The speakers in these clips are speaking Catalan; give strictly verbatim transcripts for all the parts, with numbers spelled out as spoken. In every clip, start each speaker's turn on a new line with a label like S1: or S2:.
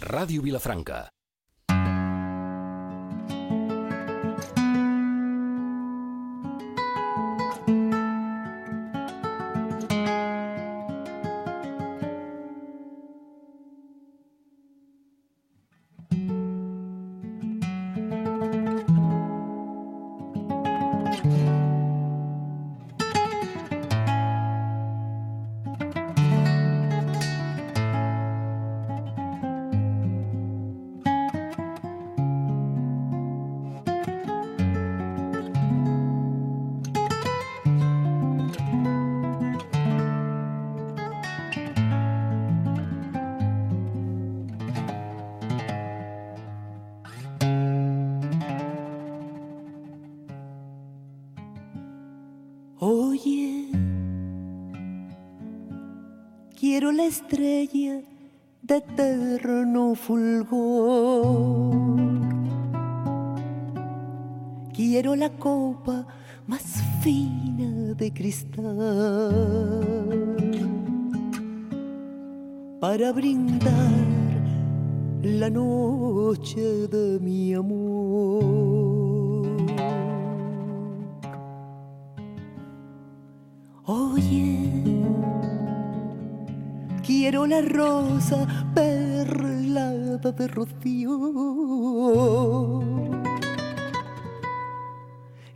S1: Ràdio Vilafranca.
S2: Oye, quiero la estrella de eterno fulgor, quiero la copa más fina de cristal para brindar la noche de mi amor. Oye, quiero la rosa perlada de rocío,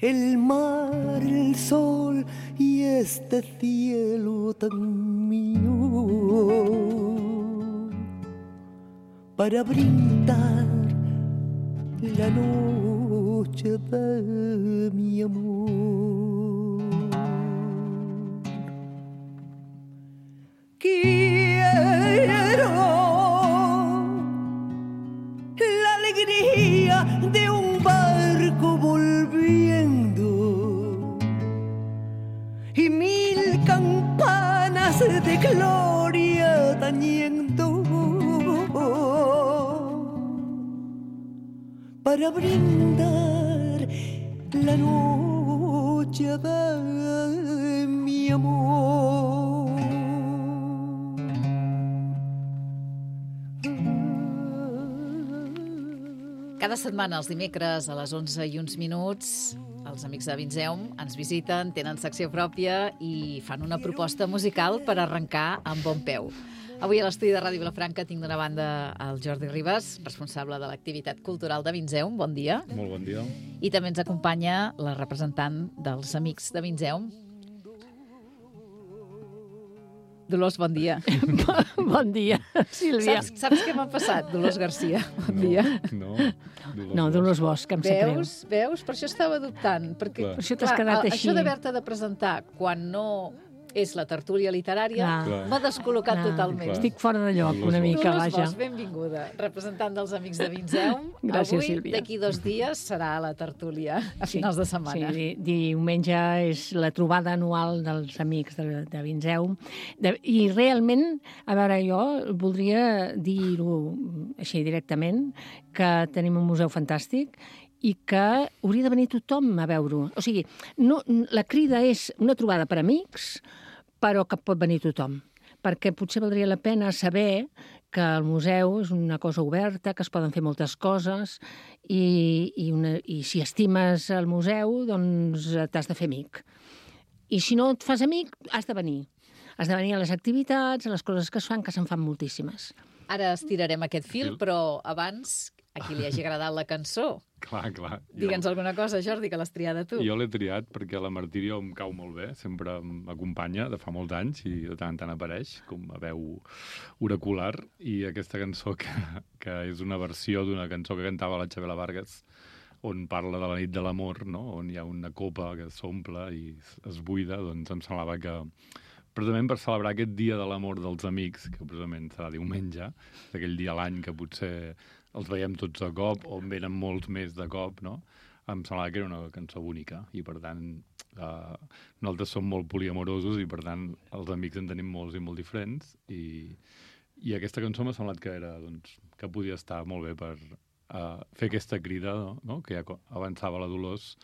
S2: el mar, el sol y este cielo tan mío, para brindar la noche de mi amor. Quiero la alegría de un barco volviendo y mil campanas de gloria tañendo para brindar la noche de mi amor.
S3: Cada setmana, els dimecres, a les onze i uns minuts, els amics de Vinzeum ens visiten, tenen secció pròpia i fan una proposta musical per arrencar amb bon peu. Avui a l'estudi de Ràdio Vilafranca tinc d'una banda el Jordi Ribas, responsable de l'activitat cultural de Vinzeum. Bon dia.
S4: Molt bon dia.
S3: I també ens acompanya la representant dels amics de Vinzeum, Dolors, bon dia.
S5: Bon dia, Sílvia.
S3: Saps, saps què m'ha passat, Dolors Garcia? Bon
S4: no,
S3: dia.
S4: No, Dolors,
S5: no, Dolors Bosch, que em sap greu.
S3: Veus? Veus? Per això estava dubtant. Perquè,
S4: Clar.
S5: Per això t'has quedat
S3: clar,
S5: així.
S3: Això d'haver-te de presentar quan no és la tertúlia literària
S5: Clar.
S3: m'ha descol·locat
S5: Clar.
S3: totalment.
S4: Clar.
S5: Estic fora de lloc una mica,
S3: Dolors
S5: vaja.
S3: Bosch, benvinguda, representant dels Amics de Vinzeum.
S5: Gràcies,
S3: Avui,
S5: Sílvia.
S3: d'aquí dos dies, serà la tertúlia a finals de setmana.
S5: Sí, di diumenge és la trobada anual dels amics de, de Vinzeum. De, I realment, a veure, jo voldria dir-ho així directament, que tenim un museu fantàstic i que hauria de venir tothom a veure-ho. O sigui, no, la crida és una trobada per amics, però que pot venir tothom, perquè potser valdria la pena saber que el museu és una cosa oberta, que es poden fer moltes coses i, i, una, i si estimes el museu, doncs t'has de fer amic. I si no et fas amic, has de venir. Has de venir a les activitats, a les coses que es fan, que se'n fan moltíssimes.
S3: Ara estirarem aquest fil, però abans, a qui li hagi agradat la cançó,
S4: Clar, clar.
S3: digue'ns alguna cosa, Jordi, que l'has triada tu.
S4: Jo l'he triat perquè la Martíria em cau molt bé, sempre m'acompanya de fa molts anys i de tant en tant apareix com a veu oracular, i aquesta cançó que, que és una versió d'una cançó que cantava la Xabela Vargas, on parla de la nit de l'amor, no? On hi ha una copa que s'omple i es buida, doncs em semblava que precisament per celebrar aquest dia de l'amor dels amics, que precisament serà diumenge, d'aquell dia a l'any que potser els veiem tots de cop, o en venen molts més de cop, no? Em semblava que era una cançó bonica, i per tant eh, nosaltres som molt poliamorosos i per tant els amics en tenim molts i molt diferents, i, i aquesta cançó m'ha semblat que era, doncs, que podia estar molt bé per eh, fer aquesta crida, no? No? Que ja avançava la Dolors,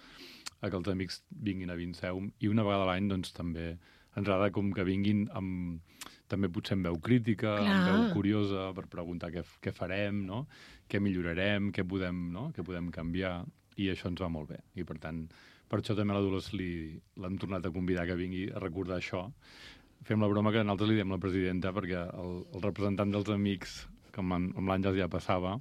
S4: a que els amics vinguin a Vinzeum, i una vegada a l'any doncs també ens agrada com que vinguin amb, també potser amb veu crítica,
S5: Clar.
S4: amb veu curiosa, per preguntar què, què farem, no? Què millorarem, què podem, no? què podem canviar, i això ens va molt bé. I, per tant, per això també a la Dolors l'hem tornat a convidar que vingui a recordar això. Fem la broma que nosaltres li diem la presidenta, perquè el, el representant dels amics, que amb, amb l'Àngels ja passava,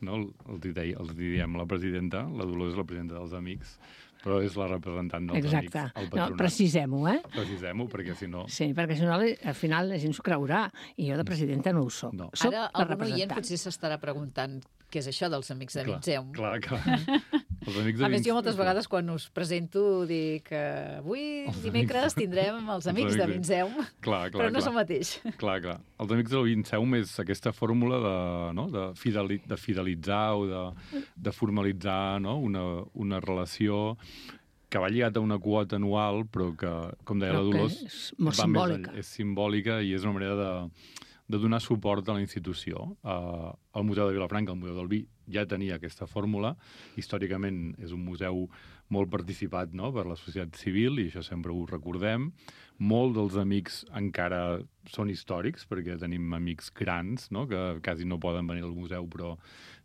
S4: no? els, deia, els diem la presidenta, la Dolors és la presidenta dels amics, però és la representant dels
S5: Exacte.
S4: amics al
S5: No,
S4: patronat.
S5: precisem-ho, eh?
S4: Precisem-ho, perquè si no...
S5: Sí, perquè si no, al final la gent s'ho creurà. I jo de presidenta no ho soc.
S4: No.
S5: Soc
S3: Ara
S5: la
S3: algun oient
S5: representant.
S3: potser s'estarà preguntant què és això dels Amics de
S4: Clar,
S3: Vinzeum.
S4: clar, clar. Els amics de
S3: A més,
S4: Vinc-
S3: jo moltes vegades quan us presento dic que avui
S4: Els
S3: dimecres tindrem els Amics de
S4: amics de-
S3: Vinzeum,
S4: Clar, clar,
S3: però no
S4: clar.
S3: és el mateix.
S4: Clar, clar. Els Amics del Vinceum és aquesta fórmula de, no? de, fideli de fidelitzar o de, de formalitzar, no? una, una relació que va lligat a una quota anual, però que, com deia
S5: Però
S4: la
S5: que
S4: Dolors,
S5: és molt
S4: va més
S5: simbòlica.
S4: enllà- és simbòlica i és una manera de, de donar suport a la institució. Uh, el Museu de Vilafranca, el Museu del Vi, ja tenia aquesta fórmula. Històricament és un museu molt participat, no?, per la societat civil, i això sempre ho recordem. Molts dels amics encara són històrics, perquè tenim amics grans, no?, que quasi no poden venir al museu, però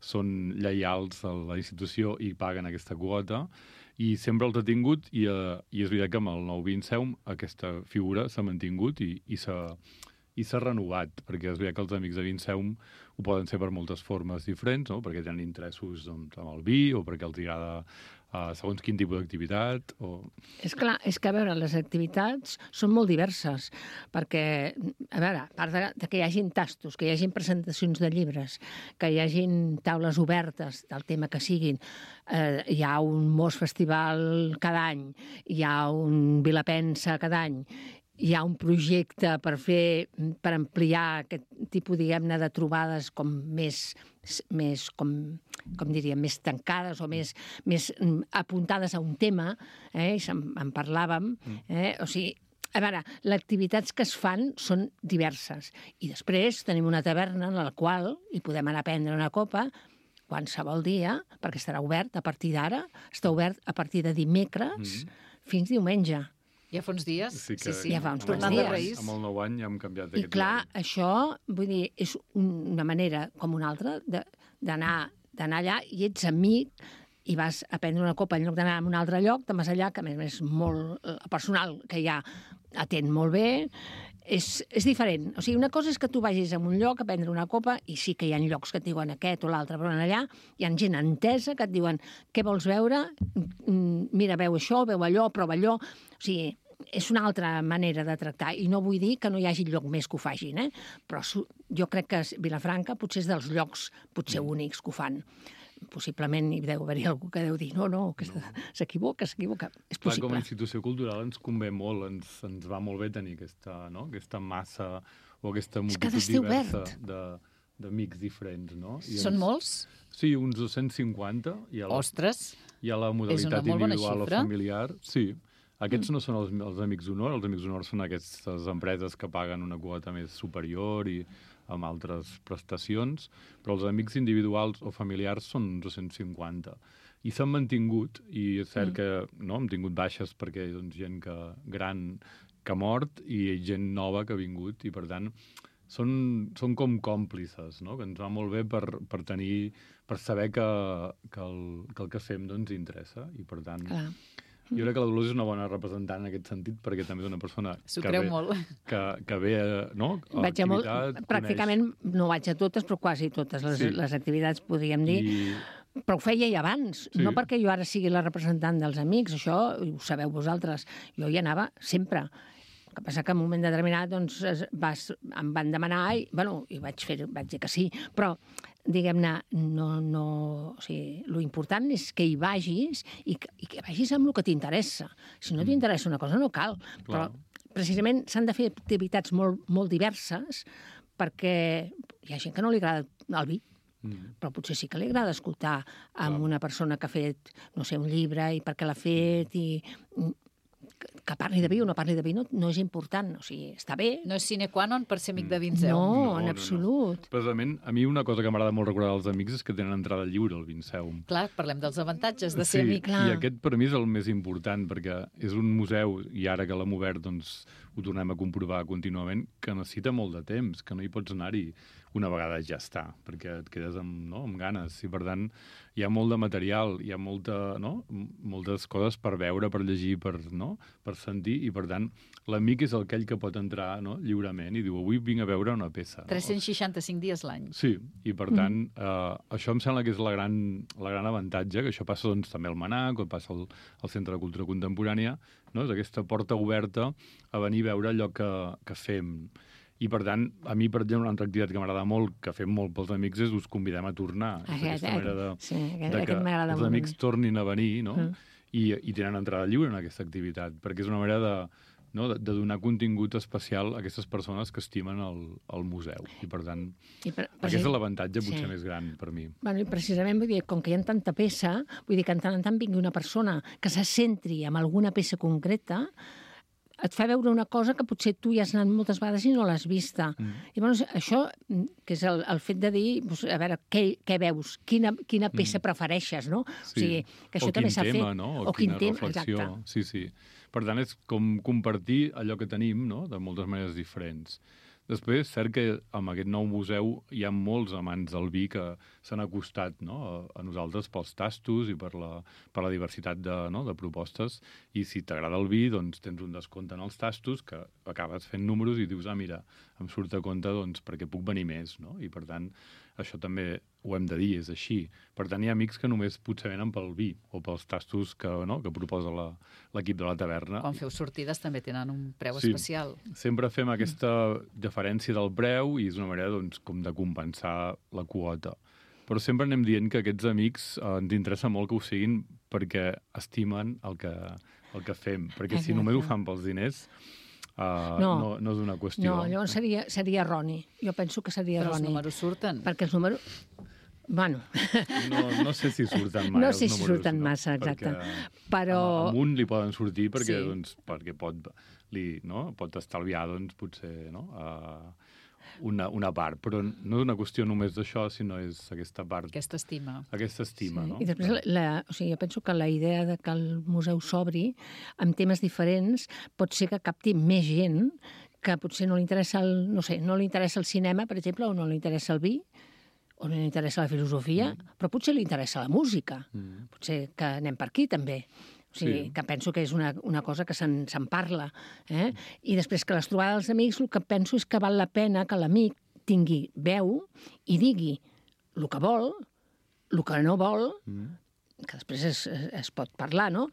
S4: són lleials a la institució i paguen aquesta quota. I sempre els ha tingut, i, uh, i és veritat que amb el nou Vinceum aquesta figura s'ha mantingut i, i s'ha i s'ha renovat, perquè és veritat que els Amics de Vinceum ho poden ser per moltes formes diferents, no? Perquè tenen interessos doncs, amb el vi, o perquè els agrada uh, segons quin tipus d'activitat, o...
S5: És clar, és que, a veure, les activitats són molt diverses, perquè, a veure, a part de, de que hi hagin tastos, que hi hagin presentacions de llibres, que hi hagin taules obertes del tema que siguin, eh, hi ha un Mos Festival cada any, hi ha un Vilapensa cada any, hi ha un projecte per fer, per ampliar aquest tipus, diguem-ne, de trobades com més, més com, com diríem, més tancades o més, més apuntades a un tema, eh? I en, en parlàvem, eh? O sigui, a veure, les activitats que es fan són diverses. I després tenim una taverna en la qual hi podem anar a prendre una copa qualsevol dia, perquè estarà obert a partir d'ara, està obert a partir de dimecres mm. fins diumenge.
S3: Ja fa uns dies?
S4: Sí, que,
S3: sí, sí.
S5: Ja fa uns
S3: Tornant
S5: quants
S3: de
S5: dies.
S3: Reis.
S4: Amb el nou any ja hem canviat
S5: I
S4: aquest
S5: clar,
S4: horari.
S5: això, vull dir, és una manera com una altra d'anar d'anar allà i ets amic i vas a prendre una copa en lloc d'anar a un altre lloc, de més allà, que a més és molt el personal que hi ha atén molt bé, és, és diferent. O sigui, una cosa és que tu vagis a un lloc a prendre una copa i sí que hi ha llocs que et diuen aquest o l'altre, però allà hi ha gent entesa que et diuen què vols veure? Mira, veu això, veu allò, prova allò. O sigui, és una altra manera de tractar. I no vull dir que no hi hagi lloc més que ho facin, eh? Però jo crec que Vilafranca potser és dels llocs potser únics que ho fan. Possiblement hi deu haver-hi algú que deu dir no, no, que s'equivoca, s'equivoca. És
S4: Clar, com a
S5: possible.
S4: institució cultural ens convé molt, ens, ens va molt bé tenir aquesta, no? aquesta massa o aquesta
S5: És que ha
S4: multitud
S5: d'estar
S4: diversa
S5: obert.
S4: de, d'amics diferents, no? I
S3: Són
S4: ens...
S3: molts?
S4: Sí, uns dos-cents cinquanta. Hi ha la,
S3: Ostres!
S4: hi ha la modalitat
S3: molt bona
S4: individual o
S3: xifra.
S4: familiar. Sí. Aquests mm. no són els, els amics d'honor, els amics d'honor són aquestes empreses que paguen una quota més superior i amb altres prestacions, però els amics individuals o familiars són uns dos-cents cinquanta. I s'han mantingut, i és cert mm. que no, hem tingut baixes perquè hi ha doncs, gent que, gran que ha mort i gent nova que ha vingut, i per tant són, són com còmplices, no? Que ens va molt bé per, per tenir, per saber que, que, el, que el que fem doncs, interessa, i per tant...
S5: Clar.
S4: Jo crec que la Dolors és una bona representant en aquest sentit, perquè també és una persona
S3: S'ho
S4: que
S3: creu
S4: ve,
S3: molt.
S4: que, que ve no? a
S5: Vaig a molt,
S4: activitat,
S5: pràcticament no vaig a totes, però quasi totes les,
S4: Sí.
S5: les activitats, podríem dir.
S4: I,
S5: Però ho feia ja abans,
S4: Sí.
S5: no perquè jo ara sigui la representant dels amics, això ho sabeu vosaltres. Jo hi anava sempre. El que passa que en un moment determinat doncs, es- vas, em van demanar i, bueno, i vaig, fer, vaig dir que sí, però diguem-ne, no, no, o sigui, lo important és que hi vagis i que, i que vagis amb el que t'interessa. Si no t'interessa una cosa no cal, però precisament s'han de fer activitats molt, molt diverses perquè hi ha gent que no li agrada el vi,
S4: mm,
S5: però potser sí que li agrada escoltar amb una persona que ha fet, no sé, un llibre i per què l'ha fet i que parli de vi o no parli de vi no, no és important, o sigui, està bé.
S3: No és sine qua non per ser amic de Vinzeu.
S5: No,
S4: No,
S5: en
S4: no,
S5: absolut.
S4: no. Precisament, a mi una cosa que m'agrada molt recordar dels amics és que tenen entrada lliure al Vinceum.
S3: Clar, parlem dels avantatges de ser
S4: Sí,
S3: amic.
S5: clar.
S4: i aquest per mi és el més important, perquè és un museu, i ara que l'hem obert doncs, ho tornem a comprovar contínuament, que necessita molt de temps, que no hi pots anar-hi una vegada ja està, perquè et quedes amb, no, amb ganes. I per tant, hi ha molt de material, hi ha molta, no, moltes coses per veure, per llegir, per, no, per sentir, i per tant, l'amic és aquell que pot entrar, no, lliurement i diu, avui vinc a veure una peça. No?
S3: tres-cents seixanta-cinc dies l'any.
S4: Sí, i per tant, eh, això em sembla que és la gran, la gran avantatge, que això passa doncs, també al Manac, o passa al, al Centre de Cultura Contemporània, no? És aquesta porta oberta a venir a veure allò que, que fem. I, per tant, a mi, per exemple, una altra activitat que m'agrada molt, que fem molt pels amics, és us convidem a tornar. És
S5: Aquest,
S4: aquesta manera de,
S5: sí, aquest,
S4: de que
S5: aquest m'agrada
S4: els
S5: molt.
S4: amics tornin a venir, no?
S5: Mm.
S4: I, I tenen entrada lliure en aquesta activitat, perquè és una manera de, no, de, de donar contingut especial a aquestes persones que estimen el, el museu. I, per tant,
S5: I per, per
S4: aquest és l'avantatge
S5: sí.
S4: potser més gran per mi.
S5: Bueno, i precisament, vull dir, com que hi ha tanta peça, vull dir que en tant en tant vingui una persona que se centri en alguna peça concreta, et fa veure una cosa que potser tu hi has anat moltes vegades i no l'has vista. Mm. I llavors, això, que és el, el fet de dir, doncs, a veure, què, què veus? Quina, quina peça mm. prefereixes, no?
S4: Sí.
S5: O sigui, que això
S4: o
S5: també s'ha fet.
S4: tema, no? O,
S5: o quin
S4: quina
S5: tema,
S4: reflexió.
S5: exacte.
S4: Sí, sí. Per tant, és com compartir allò que tenim, no?, de moltes maneres diferents. Després, és cert que amb aquest nou museu hi ha molts amants del vi que s'han acostat, no?, a, a nosaltres pels tastos i per la, per la diversitat de, no?, de propostes. I si t'agrada el vi, doncs tens un descompte en els tastos que acabes fent números i dius, ah, mira, em surt a compte doncs, perquè puc venir més, no? I per tant, això també ho hem de dir, és així. Per tant, hi ha amics que només potser venen pel vi o pels tastos que, no?, que proposa la, l'equip de la taverna.
S3: Quan feu sortides també tenen un preu
S4: Sí.
S3: especial.
S4: Sempre fem aquesta diferència del preu i és una manera doncs, com de compensar la quota. Però sempre anem dient que aquests amics eh, ens interessa molt que ho siguin perquè estimen el que, el que fem. Perquè si només ho fan pels diners, uh, no. No, no és una qüestió.
S5: No, llavors seria, seria erroni. Jo penso que seria
S3: Però els
S5: erroni.
S3: números surten.
S5: Perquè els números... Bueno,
S4: No, no sé si surten mai
S5: no
S4: els
S5: sé si
S4: números,
S5: surten
S4: no?
S5: massa, exacte.
S4: Perquè
S5: Però...
S4: a- Amunt li poden sortir perquè,
S5: Sí.
S4: doncs, perquè pot, li, no? pot estalviar doncs, potser no? uh, una, una part. Però no és una qüestió només d'això, sinó és aquesta part,
S3: Aquesta estima.
S4: aquesta estima.
S5: Sí.
S4: No?
S5: I després, la, o sigui, jo penso que la idea de que el museu s'obri amb temes diferents pot ser que capti més gent que potser no li interessa el, no sé, no li interessa el cinema, per exemple, o no li interessa el vi, o no li interessa la filosofia, mm. però potser li interessa la música. Mm. Potser que anem per aquí, també. O sigui,
S4: Sí.
S5: que penso que és una, una cosa que se'n se'n parla. Eh? I després que les trobades dels amics, el que penso és que val la pena que l'amic tingui veu i digui el que vol, el que no vol, mm. que després es, es pot parlar, no?,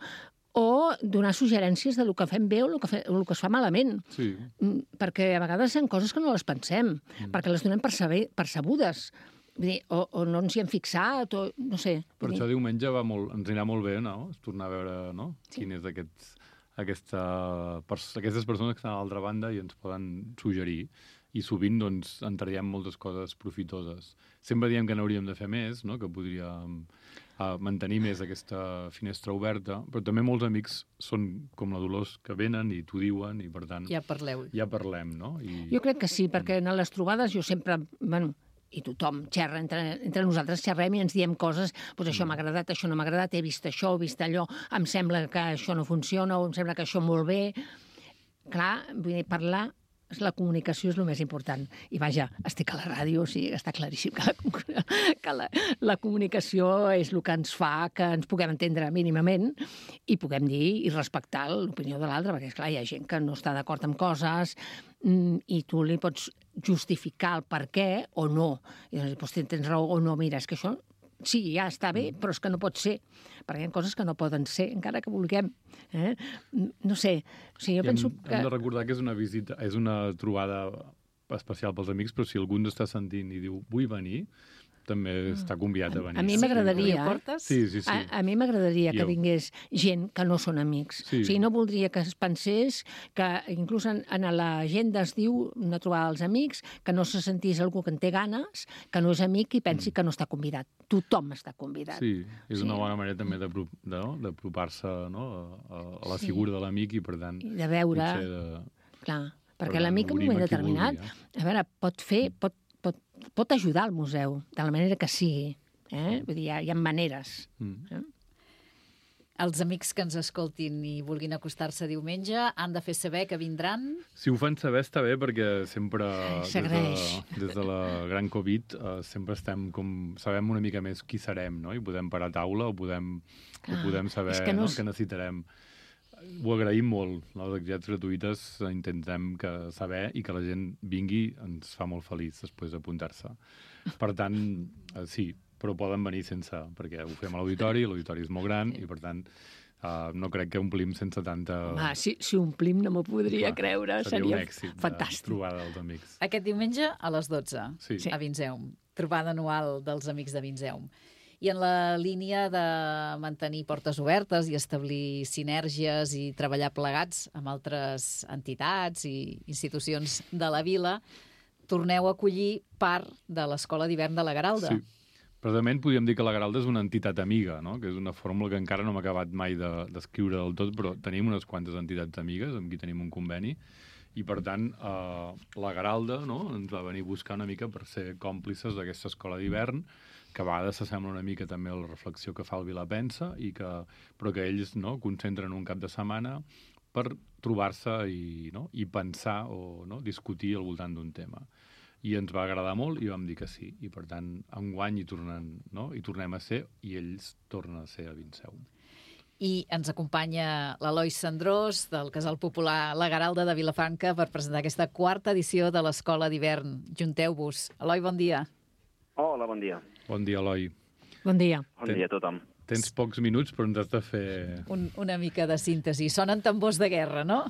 S5: o donar suggerències de lo que fem bé o el que, fe, o el que es fa malament.
S4: Sí.
S5: Mm, perquè a vegades són coses que no les pensem, mm. perquè les donem per saber, percebudes. Vull dir, o, o no ens hi hem fixat, o no sé.
S4: Per
S5: Vull
S4: això
S5: dir,
S4: diumenge va molt, ens anirà molt bé, no? És tornar a veure, no?
S5: Sí.
S4: Quin és aquests, aquesta, pers aquestes persones que estan a l'altra banda i ens poden suggerir. I sovint, doncs, en traiem moltes coses profitoses. Sempre diem que n'hauríem de fer més, no? Que podríem uh, mantenir més aquesta finestra oberta, però també molts amics són com la Dolors, que venen i t'ho diuen i, per tant,
S3: Ja parleu.
S4: ja parlem, no? I...
S5: jo crec que sí, perquè en les trobades jo sempre... Bueno, i tothom xerra, entre, entre nosaltres xerrem i ens diem coses, doncs això m'ha agradat, això no m'ha agradat, he vist això, he vist allò, em sembla que això no funciona, o em sembla que això molt bé. Clar, vull dir, parlar, la comunicació és el més important. I vaja, estic a la ràdio, o sigui, està claríssim que la, que la, la comunicació és el que ens fa que ens puguem entendre mínimament i puguem dir i respectar l'opinió de l'altre, perquè, esclar, hi ha gent que no està d'acord amb coses i tu li pots justificar el per què o no. I doncs, tens raó o no, mira, és que això sí, ja està bé, però és que no pot ser, perquè hi ha coses que no poden ser, encara que vulguem. Eh? No sé, o sigui, jo
S4: I
S5: penso
S4: hem,
S5: que...
S4: hem de recordar que és una visita, és una trobada especial pels amics, però si algú ens està sentint i diu vull venir, també està convidat a venir.
S5: A mi m'agradaria,
S3: Obrir portes?
S4: Sí, sí, sí.
S5: A, a mi m'agradaria que
S4: Jo.
S5: vingués gent que no són amics.
S4: Sí.
S5: O sigui, no voldria que es pensés que inclús en, en l'agenda es diu una trobada als amics, que no se sentís algú que en té ganes, que no és amic i pensi que no està convidat. Tothom està convidat.
S4: Sí, és
S5: Sí.
S4: una bona manera també d'apro- de, no? d'apropar-se no? a, a la
S5: Sí.
S4: figura de l'amic i, per tant,
S5: I de veure...
S4: potser de...
S5: Clar, perquè
S4: tant,
S5: l'amic en un
S4: obrim
S5: moment
S4: a qui
S5: determinat,
S4: vulgui, eh?
S5: a veure, pot fer, pot, pot, pot ajudar al museu, de la manera que sigui. Eh? Vull dir, hi ha, hi ha maneres.
S4: Mm.
S5: Eh?
S3: Els amics que ens escoltin i vulguin acostar-se diumenge han de fer saber que vindran.
S4: Si ho fan saber està bé, perquè sempre, des de,
S5: S'agraeix.
S4: des de la gran Covid, eh, sempre estem com... Sabem una mica més qui serem, no? I podem parar a taula o podem,
S5: Clar,
S4: o podem saber
S5: és que no
S4: no?
S5: és-
S4: que necessitarem. Ho agraïm molt. Les activitats gratuïtes intentem que saber i que la gent vingui ens fa molt feliç després d'apuntar-se. Per tant, eh, sí, però poden venir sense, perquè ho fem a l'auditori, l'auditori és molt gran i, per tant, uh, no crec que omplim sense tanta...
S5: Home, si, si omplim no m'ho podria
S4: Clar,
S5: creure.
S4: seria
S5: Seria,
S4: un èxit de
S5: fantàstic.
S4: trobada dels amics.
S3: Aquest diumenge a les dotze,
S4: Sí.
S3: a Vinseum. Trobada anual dels amics de Vinseum. I en la línia de mantenir portes obertes i establir sinergies i treballar plegats amb altres entitats i institucions de la vila, torneu a acollir part de l'Escola d'Hivern de la Garalda.
S4: Sí. Precisament podríem dir que la Garalda és una entitat amiga, no? Que és una fórmula que encara no hem acabat mai d'escriure de, del tot, però tenim unes quantes entitats amigues amb qui tenim un conveni i, per tant, eh, la Garalda no? ens va venir a buscar una mica per ser còmplices d'aquesta escola d'hivern, que a vegades s'assembla una mica també a la reflexió que fa el Vilapensa, i que, però que ells no? concentren un cap de setmana per trobar-se i, no? i pensar o no? discutir al voltant d'un tema. I ens va agradar molt i vam dir que sí. I, per tant, enguany hi, tornen, no? hi tornem a ser i ells tornen a ser a Vinseum.
S3: I ens acompanya l'Eloi Sandrós, del Casal Popular La Garalda de Vilafranca, per presentar aquesta quarta edició de l'Escola d'Hivern. Junteu-vos. Eloi, bon dia.
S1: Hola, bon dia.
S4: Bon dia, Eloi.
S5: Bon dia.
S1: Bon
S4: Ten-
S1: dia a tothom.
S4: Tens pocs minuts, però ens has de fer...
S3: Un, una mica de síntesi. Sonen tambors de guerra, no?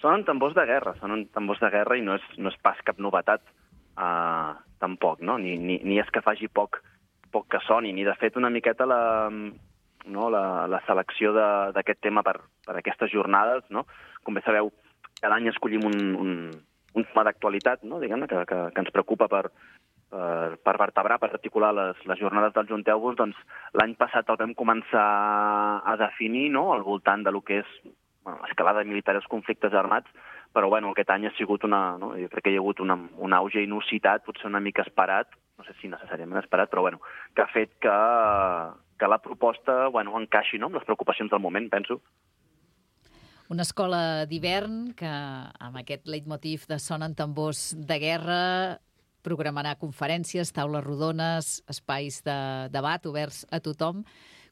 S1: Sonen tambors de guerra, sonen tambors de guerra i no és, no és pas cap novetat, uh, tampoc, no? Ni, ni, ni és que faci poc, poc que soni, ni de fet una miqueta la, no, la, la selecció de- d'aquest tema per, per aquestes jornades, no? Com bé sabeu, cada any escollim un, un, un tema d'actualitat, no? Diguem-ne, que, que, que ens preocupa per, per, per vertebrar, per articular les, les jornades del Junteu-vos. Doncs l'any passat el vam començar a definir, no?, al voltant de lo que és bueno, escalada militar i els conflictes armats, però bueno, aquest any ha sigut una... No? Jo crec que hi ha hagut una, un auge inusitat, potser una mica esperat, no sé si necessàriament esperat, però bueno, que ha fet que, que la proposta bueno, encaixi, no?, amb les preocupacions del moment, penso.
S3: Una escola d'hivern que, amb aquest leitmotiv de sonen tambors de guerra, programarà conferències, taules rodones, espais de debat oberts a tothom.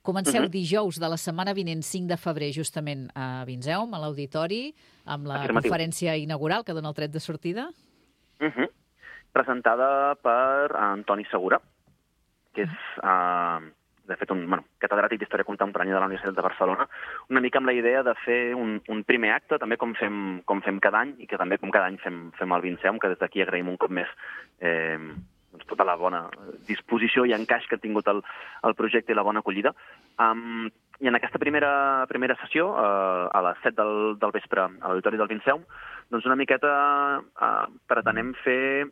S3: Comenceu uh-huh. dijous de la setmana vinent, cinc de febrer, justament a Vinseum, a l'auditori, amb la
S1: Afirmatiu.
S3: conferència inaugural que dona el tret de sortida.
S1: Uh-huh. Presentada per Antoni Segura, que és, uh, de fet, un bueno, catedràtic d'Història Contemporània de la Universitat de Barcelona, una mica amb la idea de fer un, un primer acte, també com fem, com fem cada any, i que també com cada any fem, fem al Vinseum, que des d'aquí agraïm un cop més eh, doncs tota la bona disposició i encaix que ha tingut el, el projecte i la bona acollida. Um, I en aquesta primera, primera sessió, uh, a les set del, del vespre a l'Auditori del Vinseum, doncs una miqueta uh, pretenem fer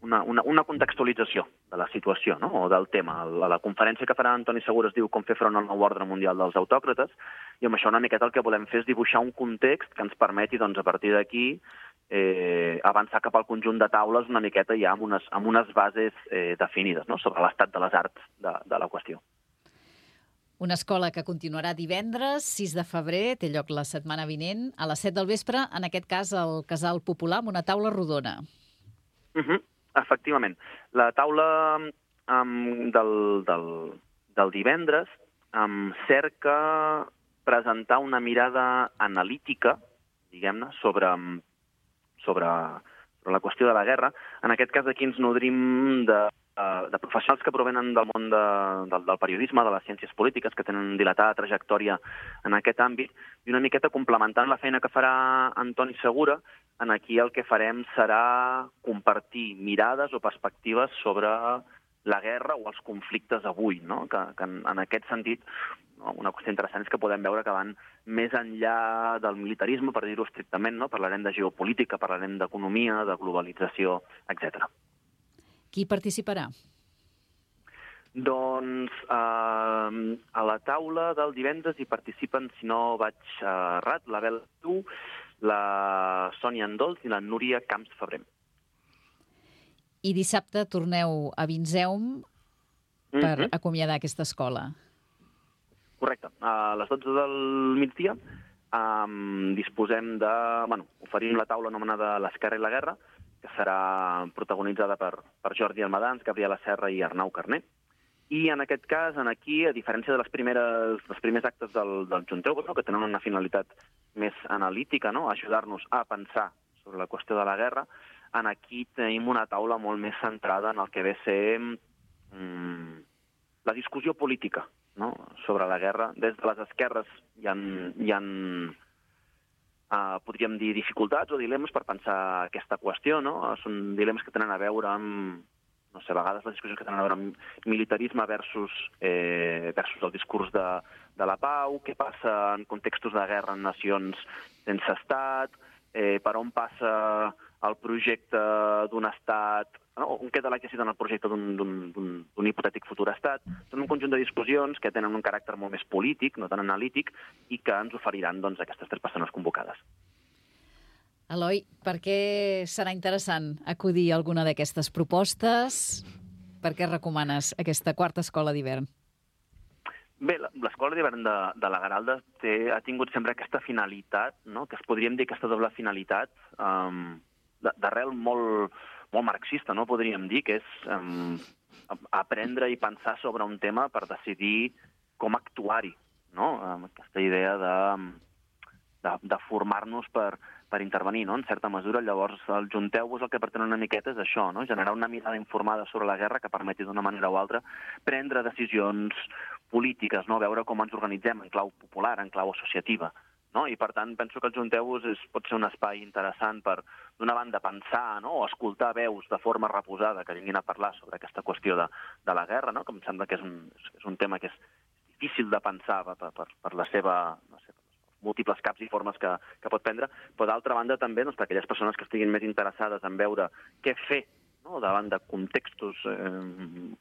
S1: una, una, una contextualització de la situació, no?, o del tema. La, la conferència que farà Antoni Segura es diu Com fer front al nou ordre mundial dels autòcrates, i amb això una miqueta el que volem fer és dibuixar un context que ens permeti, doncs, a partir d'aquí, eh, avançar cap al conjunt de taules una miqueta ja amb unes, amb unes bases eh, definides, no?, sobre l'estat de les arts de, de la qüestió.
S3: Una escola que continuarà divendres, sis de febrer, té lloc la setmana vinent, a les set del vespre, en aquest cas al Casal Popular, amb una taula rodona.
S1: Uh -huh. Efectivament. La taula um, del, del, del divendres um, cerca presentar una mirada analítica, diguem-ne, sobre, sobre, sobre la qüestió de la guerra. En aquest cas aquí ens nodrim de, de professionals que provenen del món de, del, del periodisme, de les ciències polítiques, que tenen dilatada trajectòria en aquest àmbit, i una miqueta complementant la feina que farà Antoni Segura. En aquí el que farem serà compartir mirades o perspectives sobre la guerra o els conflictes avui, no? que, que en, en aquest sentit no? Una qüestió interessant és que podem veure que van més enllà del militarisme, per dir-ho estrictament, no? Parlarem de geopolítica, parlarem d'economia, de globalització, etcètera.
S3: Qui participarà?
S1: Doncs eh, a la taula del divendres hi participen, si no vaig errat, la Bel Tu, la Sònia Andols i la Núria Camps Febrer.
S3: I dissabte torneu a Vinzeum per
S1: Mm-hmm.
S3: acomiadar aquesta escola.
S1: Correcte. A les dotze del migdia um, disposem de... Bueno, oferim la taula anomenada L'esquerra i la guerra, que serà protagonitzada per, per Jordi Almadans, Gabriela Serra i Arnau Carner. I en aquest cas, en aquí, a diferència de les primeres, dels primers actes del, del Junteu, no? Que tenen una finalitat més analítica, no? Ajudar-nos a pensar sobre la qüestió de la guerra, en aquí tenim una taula molt més centrada en el que ve a ser mm, la discussió política, no? Sobre la guerra. Des de les esquerres hi ha, hi ha uh, podríem dir, dificultats o dilemes per pensar aquesta qüestió, no? Són dilemes que tenen a veure amb, no sé, a vegades les discussions que tenen a veure amb militarisme versus, eh, versus el discurs de, de la pau, què passa en contextos de guerra en nacions sense estat, eh, per on passa el projecte d'un estat, no? On queda l'exercici en el projecte d'un hipotètic futur estat. Són un conjunt de discussions que tenen un caràcter molt més polític, no tan analític, i que ens oferiran doncs, aquestes tres persones convocades.
S3: Eloi, per què serà interessant acudir a alguna d'aquestes propostes? Per què recomanes aquesta quarta escola d'hivern?
S1: Bé, l'escola d'hivern de, de la Garalda té, ha tingut sempre aquesta finalitat, no? Que es podríem dir aquesta doble finalitat um, d'arrel molt, molt marxista, no? Podríem dir, que és um, aprendre i pensar sobre un tema per decidir com actuar-hi, no? Um, aquesta idea de, de, de formar-nos per, per intervenir, no? En certa mesura. Llavors, el Junteu-vos el que pretén una miqueta és això, no? Generar una mirada informada sobre la guerra que permeti d'una manera o altra prendre decisions polítiques, no? Veure com ens organitzem en clau popular, en clau associativa, no? I, per tant, penso que el Junteu-vos és, pot ser un espai interessant per, d'una banda, pensar, no? O escoltar veus de forma reposada que vinguin a parlar sobre aquesta qüestió de, de la guerra, no? Que em sembla que és un, és un tema que és difícil de pensar per, per, per la seva, no sé, múltiples caps i formes que, que pot prendre, però d'altra banda també doncs, per aquelles persones que estiguin més interessades en veure què fer, no? Davant de contextos eh,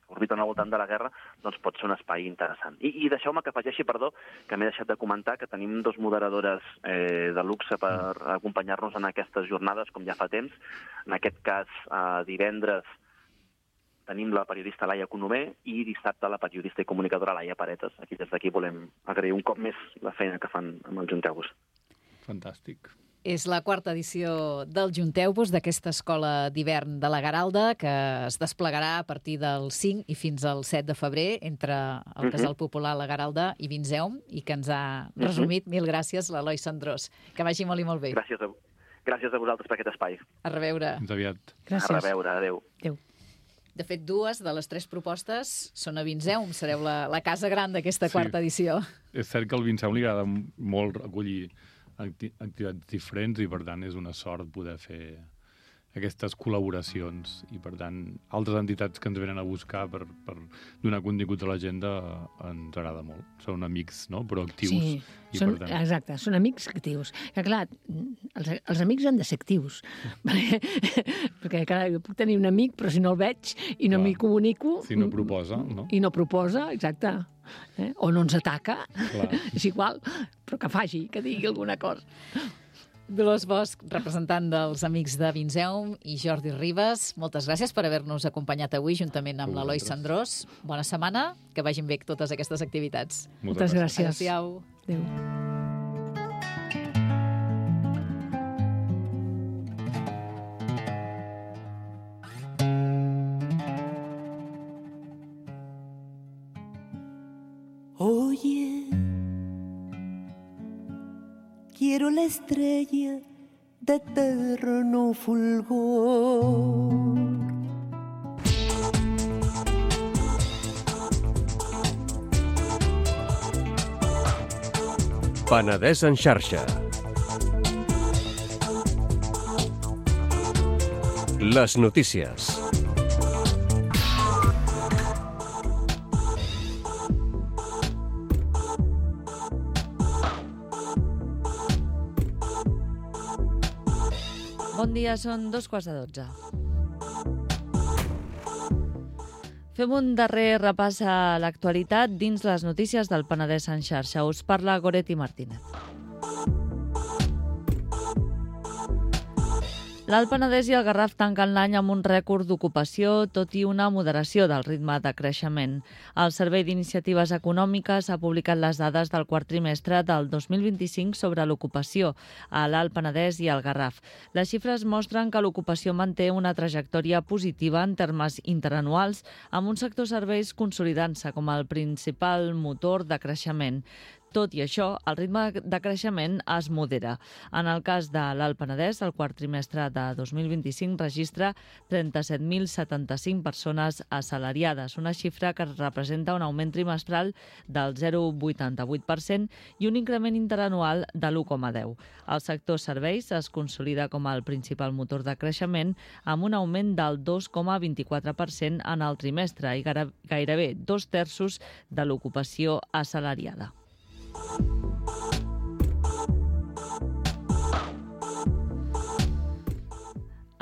S1: que orbiten al voltant de la guerra, doncs pot ser un espai interessant. I, i deixeu-me que afegeixi, perdó, que m'he deixat de comentar que tenim dos moderadores eh, de luxe per acompanyar-nos en aquestes jornades, com ja fa temps. En aquest cas, eh, divendres tenim la periodista Laia Conover i dissabte la periodista i comunicadora Laia Paretes. Aquí des d'aquí volem agrair un cop més la feina que fan amb el Junteu-vos.
S4: Fantàstic.
S3: És la quarta edició del Junteu-vos, d'aquesta escola d'hivern de la Garalda, que es desplegarà a partir del cinc i fins al set de febrer entre el Casal Popular La Garalda i Vinzeum, i que ens ha resumit. Mil gràcies, l'Eloi Sandrós. Que vagi molt i molt bé.
S1: Gràcies a, gràcies a vosaltres per aquest espai.
S3: A reveure.
S4: Fins aviat.
S5: Gràcies.
S1: A reveure, adéu.
S5: Adéu.
S3: De fet, dues de les tres propostes són a Vinzeum. Sereu la, la casa gran d'aquesta
S4: Sí.
S3: quarta edició.
S4: És cert que al Vinceum li agrada molt recollir acti activitats diferents i, per tant, és una sort poder fer aquestes col·laboracions i, per tant, altres entitats que ens venen a buscar per, per donar contingut a l'agenda ens agrada molt. Són amics, no?, però actius.
S5: Sí,
S4: i,
S5: són,
S4: per tant...
S5: exacte, són amics actius. Que, clar, els, els amics han de ser actius. perquè, perquè, clar, jo puc tenir un amic, però si no el veig i no m'hi comunico...
S4: Si no proposa, no?
S5: I no proposa, exacte. Eh? O no ens ataca,
S4: Clar.
S5: és igual, però que faci, que digui alguna cosa.
S3: Dolors Bosch, representant dels Amics de Vinzeum, i Jordi Ribas, moltes gràcies per haver-nos acompanyat avui juntament amb l'Eloi Sandrós. Bona setmana, que vagin bé totes aquestes activitats.
S5: Moltes gràcies.
S3: Adéu-siau.
S5: Adéu.
S2: Oye, quiero la estrella de eterno fulgor.
S6: Penedès en xarxa. Les notícies.
S7: Bon dia, són dos quarts de dotze. Fem un darrer repàs a l'actualitat dins les notícies del Penedès en xarxa. Us parla Goretti Martínez. L'Alt Penedès i el Garraf tanquen l'any amb un rècord d'ocupació, tot i una moderació del ritme de creixement. El Servei d'Iniciatives Econòmiques ha publicat les dades del quart trimestre del dos mil vint-i-cinc sobre l'ocupació a l'Alt Penedès i el Garraf. Les xifres mostren que l'ocupació manté una trajectòria positiva en termes interanuals, amb un sector serveis consolidant-se com el principal motor de creixement. Tot i això, el ritme de creixement es modera. En el cas de l'Alt Penedès, el quart trimestre de dos mil vint-i-cinc registra trenta-set mil setanta-cinc persones assalariades, una xifra que representa un augment trimestral del zero coma vuitanta-vuit per cent i un increment interanual de l'u coma deu. El sector serveis es consolida com el principal motor de creixement amb un augment del dos coma vint-i-quatre per cent en el trimestre i gairebé dos terços de l'ocupació assalariada.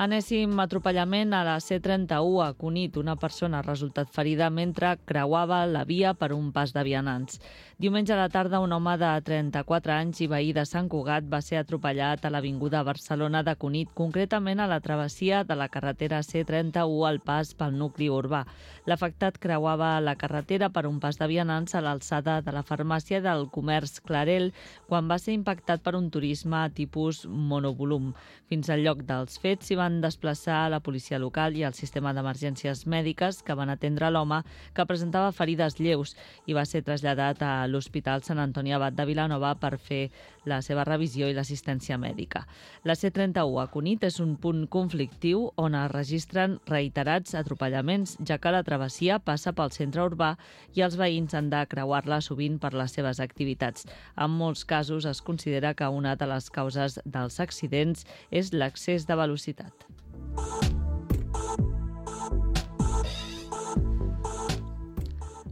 S7: Enèsim atropellament a la C trenta-u a Cunit. Una persona ha resultat ferida mentre creuava la via per un pas de vianants. Diumenge a la tarda, un home de trenta-quatre anys i veí de Sant Cugat va ser atropellat a l'avinguda Barcelona de Cunit, concretament a la travessia de la carretera C trenta-u al pas pel nucli urbà. L'afectat creuava la carretera per un pas de vianants a l'alçada de la farmàcia del comerç Clarel quan va ser impactat per un turisme tipus monovolum. Fins al lloc dels fets s'hi van desplaçar la policia local i el sistema d'emergències mèdiques que van atendre l'home, que presentava ferides lleus i va ser traslladat a l'Hospital Sant Antoni Abat de Vilanova per fer la seva revisió i l'assistència mèdica. La C trenta-u a Cunit és un punt conflictiu on es registren reiterats atropellaments, ja que la travessia passa pel centre urbà i els veïns han de creuar-la sovint per les seves activitats. En molts casos es considera que una de les causes dels accidents és l'excés de velocitat.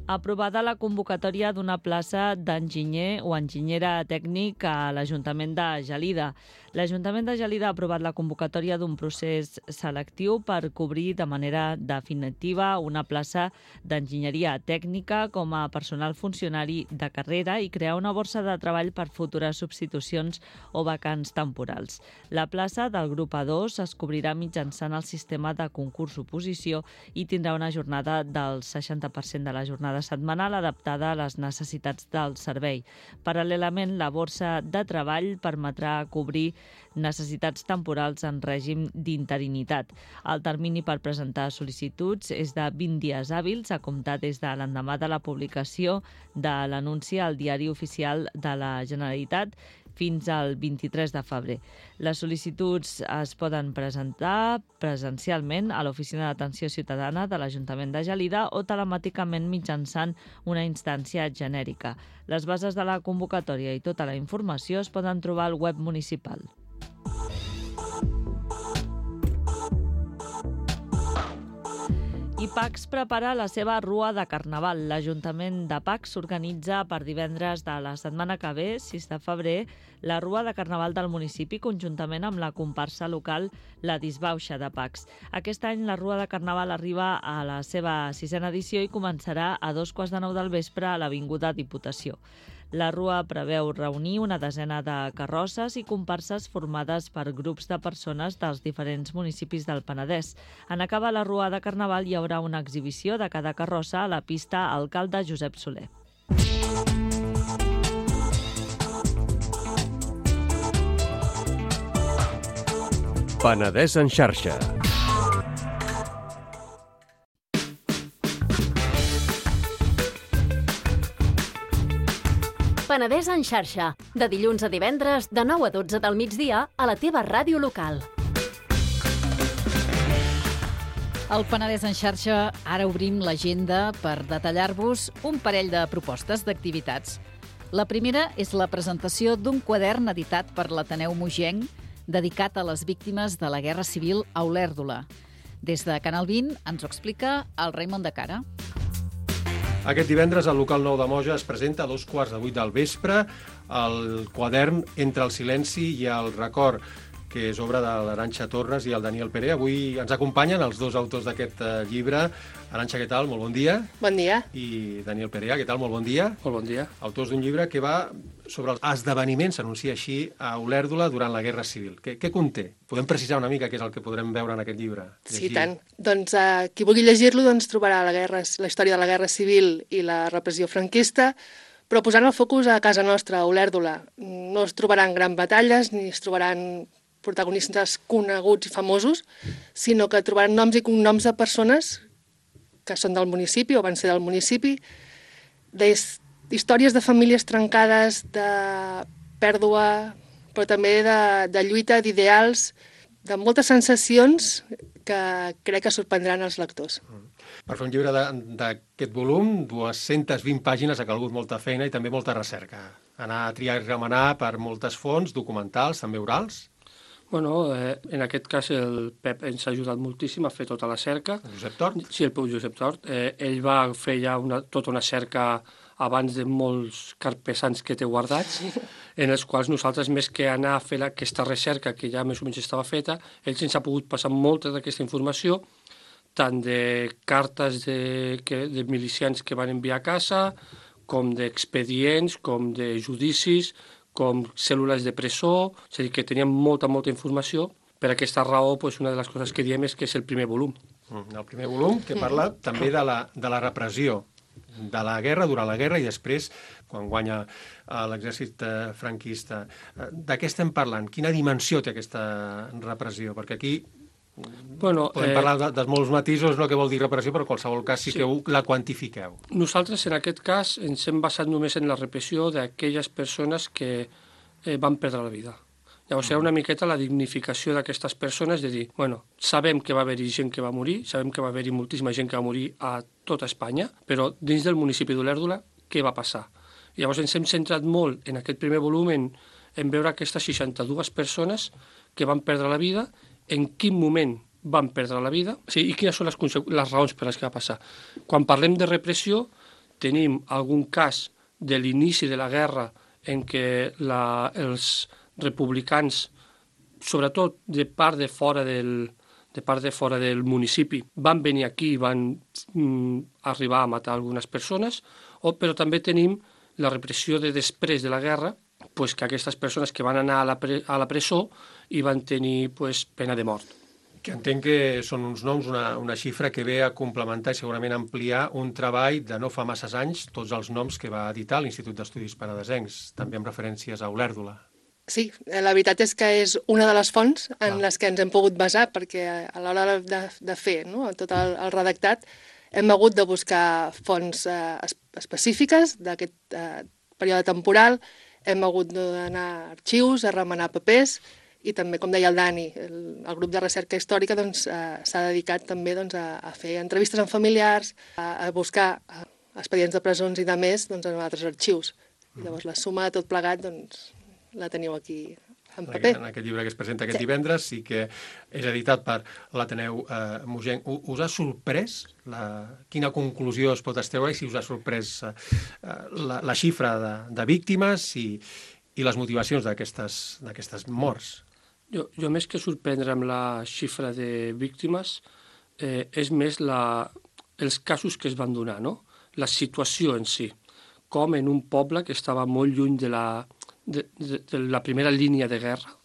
S7: Aprovada la convocatòria d'una plaça d'enginyer o enginyera tècnic a l'Ajuntament de Gelida. L'Ajuntament de Gelida ha aprovat la convocatòria d'un procés selectiu per cobrir de manera definitiva una plaça d'enginyeria tècnica com a personal funcionari de carrera i crear una borsa de treball per futures substitucions o vacants temporals. La plaça del grup A dos es cobrirà mitjançant el sistema de concurs-oposició i tindrà una jornada del seixanta per cent de la jornada setmanal adaptada a les necessitats del servei. Paral·lelament, la borsa de treball permetrà cobrir necessitats temporals en règim d'interinitat. El termini per presentar sol·licituds és de vint dies hàbils a comptar des de l'endemà de la publicació de l'anunci al Diari Oficial de la Generalitat fins al vint-i-tres de febrer. Les sol·licituds es poden presentar presencialment a l'Oficina d'Atenció Ciutadana de l'Ajuntament de Gelida o telemàticament mitjançant una instància genèrica. Les bases de la convocatòria i tota la informació es poden trobar al web municipal. I Pacs prepara la seva rua de Carnaval. L'Ajuntament de Pacs s'organitza per divendres de la setmana que ve, sis de febrer, la rua de Carnaval del municipi conjuntament amb la comparsa local La Disbauxa de Pacs. Aquest any la rua de Carnaval arriba a la seva sisena edició i començarà a dos quarts de nou del vespre a l'Avinguda Diputació. La rua preveu reunir una desena de carrosses i comparses formades per grups de persones dels diferents municipis del Penedès. En acabar la rua de Carnaval hi haurà una exhibició de cada carrossa a la pista Alcalde Josep Soler.
S6: Penedès en xarxa.
S8: Penedès en xarxa, de dilluns a divendres, de nou a dotze del migdia, a la teva ràdio local.
S3: Al Penedès en xarxa, ara obrim l'agenda per detallar-vos un parell de propostes d'activitats. La primera és la presentació d'un quadern editat per l'Ateneu Mogenc dedicat a les víctimes de la Guerra Civil a Olèrdola. Des de Canal vint ens ho explica el Raimon de Cara.
S9: Aquest divendres al local nou de Moja es presenta a dos quarts de vuit del vespre el quadern Entre el silenci i el record. que és obra de l'Arantxa Torres i el Daniel Pere. Avui ens acompanyen els dos autors d'aquest eh, llibre. Arantxa, què tal? Molt bon dia.
S10: Bon dia.
S9: I Daniel Perea, què tal? Molt bon dia.
S11: Molt bon dia.
S9: Autors d'un llibre que va sobre els esdeveniments, s'anuncia així, a Olèrdola durant la Guerra Civil. Què, què conté? Podem precisar una mica què és el que podrem veure en aquest llibre?
S10: Llegir. Sí, tant. Doncs eh, qui vulgui llegir-lo doncs, trobarà la, guerra, la història de la Guerra Civil i la repressió franquista, però posant el focus a casa nostra, a Olèrdola. No es trobaran grans batalles, ni es trobaran protagonistes coneguts i famosos, sinó que trobaran noms i cognoms de persones que són del municipi o van ser del municipi, d'històries de famílies trencades, de pèrdua, però també de, de lluita, d'ideals, de moltes sensacions que crec que sorprendran els lectors.
S9: Per fer un llibre d'aquest volum, dues-centes vint pàgines, ha calgut molta feina i també molta recerca. Anar a triar i remenar per moltes fonts, documentals, també orals.
S11: Bueno, eh, en aquest cas el Pep ens ha ajudat moltíssim a fer tota la cerca.
S9: El Josep Tort?
S11: Sí, el Josep Tort. Eh, ell va fer ja una, tota una cerca abans de molts carpesans que té guardats, en els quals nosaltres, més que anar a fer aquesta recerca que ja més o menys estava feta, ell ens ha pogut passar molta d'aquesta informació, tant de cartes de, que, de milicians que van enviar a casa, com d'expedients, com de judicis, com cèl·lules de presó, és a dir, que teníem molta, molta informació. Per aquesta raó, pues, una de les coses que diem és que és el primer volum.
S9: El primer volum que parla també de la, de la repressió, de la guerra, durant la guerra i després, quan guanya l'exèrcit franquista. De què estem parlant? Quina dimensió té aquesta repressió? Perquè aquí
S11: bueno,
S9: podem
S11: eh,
S9: parlar de, de molts matisos, no que vol dir repressió, però en qualsevol cas sí, sí que la quantifiqueu.
S11: Nosaltres, en aquest cas, ens hem basat només en la repressió d'aquelles persones que eh, van perdre la vida. Llavors, era una miqueta la dignificació d'aquestes persones de dir, bueno, sabem que va haver-hi gent que va morir, sabem que va haver-hi moltíssima gent que va morir a tota Espanya, però dins del municipi d'Olèrdola, què va passar? I llavors ens hem centrat molt en aquest primer volum en, en veure aquestes seixanta-dues persones que van perdre la vida, en quin moment van perdre la vida, sí, i quines són les, les raons per les que va passar. Quan parlem de repressió, tenim algun cas de l'inici de la guerra en què la, els republicans, sobretot de part de fora del, de part de fora del municipi, van venir aquí i van mm, arribar a matar algunes persones, o, però també tenim la repressió de després de la guerra, pues, que aquestes persones que van anar a la, pre a la presó i van tenir pues, pena de mort.
S9: Que entenc que són uns noms, una, una xifra que ve a complementar i segurament ampliar un treball de no fa masses anys, tots els noms que va editar l'Institut d'Estudis Penedesencs, també amb referències a Olèrdola.
S10: Sí, la veritat és que és una de les fonts en ah. les que ens hem pogut basar, perquè a l'hora de, de fer no, tot el, el redactat hem hagut de buscar fonts eh, específiques d'aquest eh, període temporal, hem hagut d'anar a arxius, a remenar papers, i també, com deia el Dani, el, el grup de recerca històrica doncs, eh, s'ha dedicat també doncs, a, a fer entrevistes amb familiars, a, a buscar a, expedients de presons i de més doncs, en altres arxius. I llavors la suma de tot plegat doncs, la teniu aquí en paper.
S9: En aquest llibre que es presenta aquest sí. divendres i que és editat per l'Ateneu eh, Mogenc. Us ha sorprès la... quina conclusió es pot extreure i si us ha sorprès eh, la, la xifra de, de víctimes i, i les motivacions d'aquestes morts?
S11: Jo, jo més que sorprendre amb la xifra de víctimes eh, és més la, els casos que es van donar, no? La situació en si, com en un poble que estava molt lluny de la, de, de, de la primera línia de guerra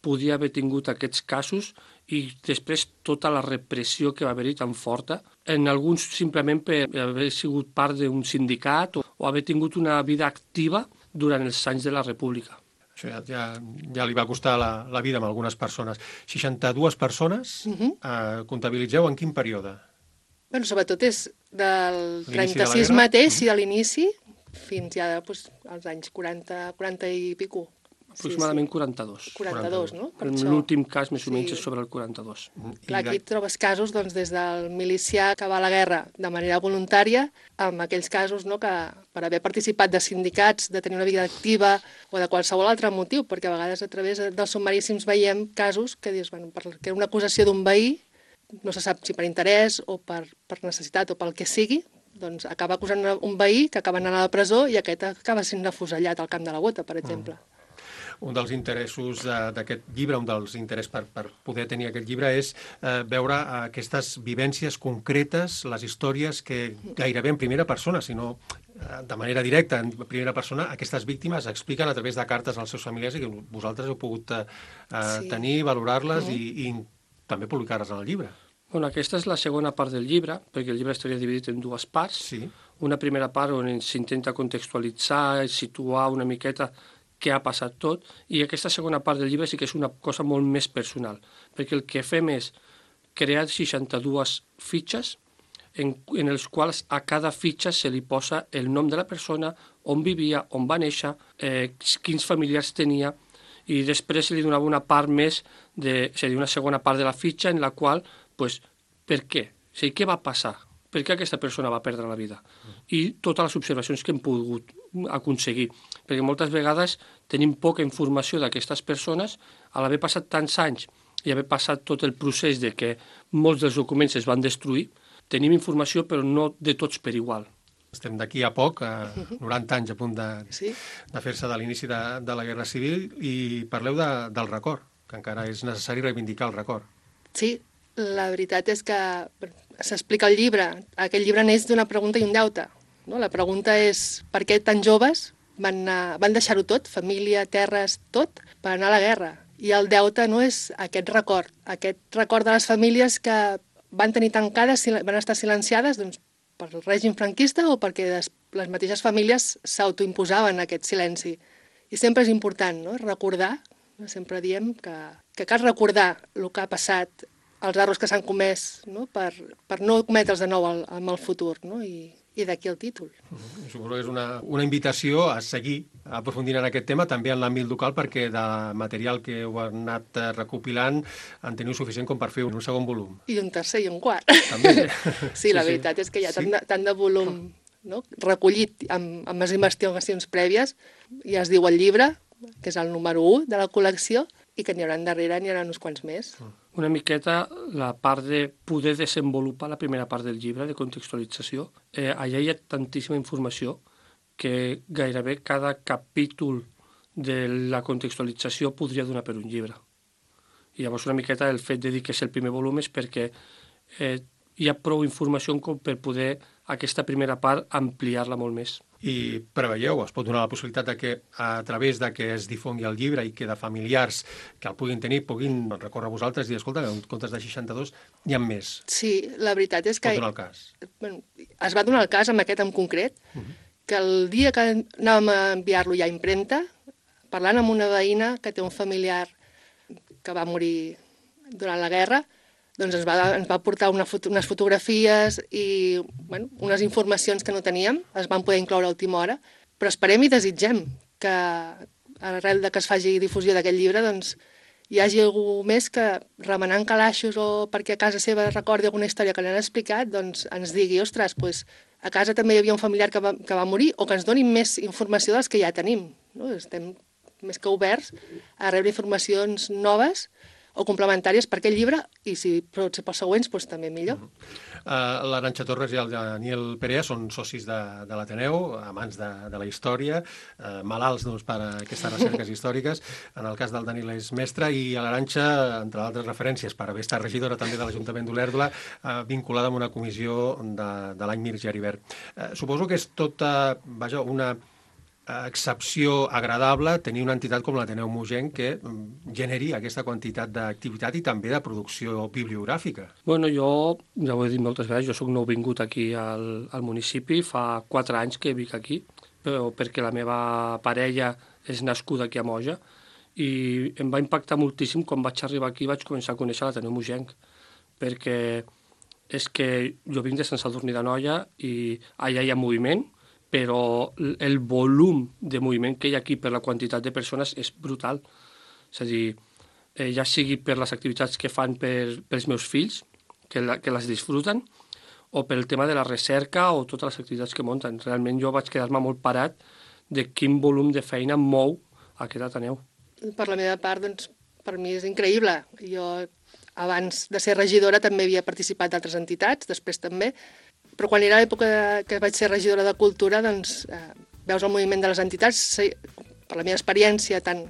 S11: podia haver tingut aquests casos i després tota la repressió que va haver-hi tan forta, en alguns simplement per haver sigut part d'un sindicat o, o haver tingut una vida activa durant els anys de la República.
S9: Això ja, ja, ja li va costar la, la vida a algunes persones. seixanta-dues persones, uh-huh. eh, comptabilitzeu en quin període?
S10: Bueno, sobretot és del trenta-sis de mateix uh-huh. i de l'inici fins ja doncs, als anys quaranta, quaranta i pico.
S11: Aproximadament sí, sí. quaranta-dos.
S10: quaranta-dos, no? Per
S11: l'últim cas més o menys sí. és sobre el quaranta-dos.
S10: Clar, aquí trobes casos doncs, des del milicià que va a la guerra de manera voluntària, amb aquells casos no, que per haver participat de sindicats, de tenir una vida activa o de qualsevol altre motiu, perquè a vegades a través dels submaríssims veiem casos que dius, bueno, perquè una acusació d'un veí, no se sap si per interès o per, per necessitat o pel que sigui, doncs acaba acusant un veí que acaba anant a la presó i aquest acaba sent afusellat al camp de la Bota, per exemple. Mm.
S9: un dels interessos d'aquest llibre, un dels interessos per, per poder tenir aquest llibre és eh, veure aquestes vivències concretes, les històries que gairebé en primera persona, sinó eh, de manera directa, en primera persona, aquestes víctimes expliquen a través de cartes als seus familiars i que vosaltres heu pogut eh, sí. tenir, valorar-les mm. i, i també publicar-les en el llibre.
S11: Bueno, aquesta és la segona part del llibre, perquè el llibre estaria dividit en dues parts.
S9: Sí.
S11: Una primera part on s'intenta contextualitzar, situar una miqueta què ha passat tot, i aquesta segona part del llibre sí que és una cosa molt més personal, perquè el que fem és crear seixanta-dues fitxes en, en els quals a cada fitxa se li posa el nom de la persona, on vivia, on va néixer, eh, quins familiars tenia, i després se li donava una part més, de, seria una segona part de la fitxa en la qual, pues, per què? O sigui, què va passar? Per què aquesta persona va perdre la vida? I totes les observacions que hem pogut aconseguir. Perquè moltes vegades tenim poca informació d'aquestes persones, a l'haver passat tants anys i haver passat tot el procés de que molts dels documents es van destruir, tenim informació però no de tots per igual.
S9: Estem d'aquí a poc, a noranta anys a punt de, sí. de fer-se de l'inici de, de la Guerra Civil, i parleu de, del record, que encara és necessari reivindicar el record.
S10: Sí, la veritat és que s'explica al llibre. Aquest llibre neix d'una pregunta i un deute. No? La pregunta és per què tan joves van, van deixar-ho tot, família, terres, tot, per anar a la guerra. I el deute no és aquest record, aquest record de les famílies que van tenir tancades, van estar silenciades doncs, per el règim franquista o perquè les, les mateixes famílies s'autoimposaven aquest silenci. I sempre és important, no? Recordar, no? Sempre diem que, que cal recordar el que ha passat, els errors que s'han comès, no? Per, per no cometre'ls de nou al, en el futur, no? I, i d'aquí el títol.
S9: Uh-huh. Suposo que és una, una invitació a seguir aprofundint en aquest tema, també en l'àmbit local, perquè de material que heu anat recopilant en teniu suficient com per fer un segon volum.
S10: I un tercer i un quart.
S9: També.
S10: Sí, la sí, veritat sí. és que hi ha tant de, tant de volum no? recollit amb, amb les investigacions prèvies, ja es diu el llibre, que és el número u de la col·lecció, i que n'hi haurà darrere, n'hi haurà uns quants més.
S11: Una miqueta la part de poder desenvolupar la primera part del llibre, de contextualització. Eh, allà hi ha tantíssima informació que gairebé cada capítol de la contextualització podria donar per un llibre. I llavors una miqueta el fet de dir que és el primer volum és perquè eh, hi ha prou informació com per poder aquesta primera part ampliar-la molt més.
S9: I preveieu, es pot donar la possibilitat de que a través de que es difongui el llibre i que de familiars que el puguin tenir puguin recórrer a vosaltres i dir, escolta, en comptes de seixanta-dos n'hi ha més.
S10: Sí, la veritat és que...
S9: Es pot donar el cas.
S10: Bueno, es va donar el cas amb aquest en concret, uh -huh. que el dia que anàvem a enviar-lo ja a impremta, parlant amb una veïna que té un familiar que va morir durant la guerra, doncs ens va, ens va portar una foto, unes fotografies i bueno, unes informacions que no teníem, es van poder incloure a última hora, però esperem i desitgem que arrel de que es faci difusió d'aquest llibre doncs, hi hagi algú més que remenant calaixos o perquè a casa seva recordi alguna història que li han explicat, doncs ens digui, ostres, doncs, a casa també hi havia un familiar que va, que va morir, o que ens doni més informació dels que ja tenim. No? Estem més que oberts a rebre informacions noves o complementàries per aquest llibre, i si pot ser pels següents, doncs també millor. Uh
S9: -huh. uh, L'Arantxa Torres i el Daniel Perea són socis de, de l'Ateneu, amants de, de la història, uh, malalts doncs, per a aquestes recerques històriques. En el cas del Daniel és mestre, i a l'Arantxa, entre altres referències, per haver estat regidora també de l'Ajuntament d'Olèrdola, uh, vinculada amb una comissió de, de l'any Mir Geribert. Uh, suposo que és tota, vaja, una excepció agradable tenir una entitat com l'Ateneu Mogenc que generi aquesta quantitat d'activitat i també de producció bibliogràfica.
S11: Bueno, jo, ja ho he dit moltes vegades, jo soc nouvingut aquí al, al municipi, fa quatre anys que vic aquí, però perquè la meva parella és nascuda aquí a Moja, i em va impactar moltíssim quan vaig arribar aquí, vaig començar a conèixer l'Ateneu Mogenc, perquè és que jo vinc de Sant Sadurní d'Anoia i allà hi ha moviment, però el volum de moviment que hi ha aquí per la quantitat de persones és brutal. És a dir, eh, ja sigui per les activitats que fan per, pels meus fills, que, la, que les disfruten, o pel tema de la recerca o totes les activitats que munten. Realment jo vaig quedar-me molt parat de quin volum de feina mou aquest Ateneu.
S10: Per la meva part, doncs, per mi és increïble. Jo, abans de ser regidora, també havia participat d'altres entitats, després també, però quan era l'època que vaig ser regidora de Cultura, doncs, eh, veus el moviment de les entitats, per la meva experiència tant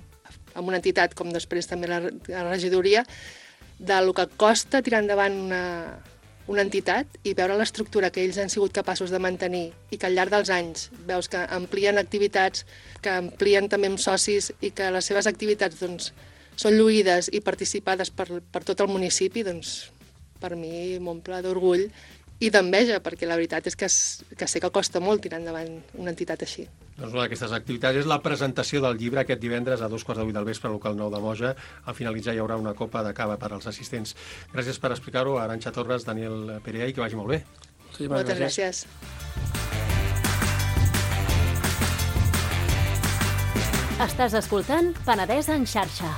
S10: amb una entitat com després també la, la regidoria, del que costa tirar endavant una, una entitat i veure l'estructura que ells han sigut capaços de mantenir i que al llarg dels anys veus que amplien activitats, que amplien també amb socis i que les seves activitats doncs, són lluïdes i participades per, per tot el municipi, doncs per mi m'omple d'orgull i d'enveja, perquè la veritat és que, que sé que costa molt tirar endavant una entitat així.
S9: Doncs una d'aquestes activitats és la presentació del llibre aquest divendres a dos quarts de vuit del vespre al local nou de Moja. Al finalitzar hi haurà una copa de cava per als assistents. Gràcies per explicar-ho, Arantxa Torres, Daniel Perea, i que vagi molt bé.
S10: Sí, moltes gràcies.
S8: Estàs escoltant Penedès en xarxa.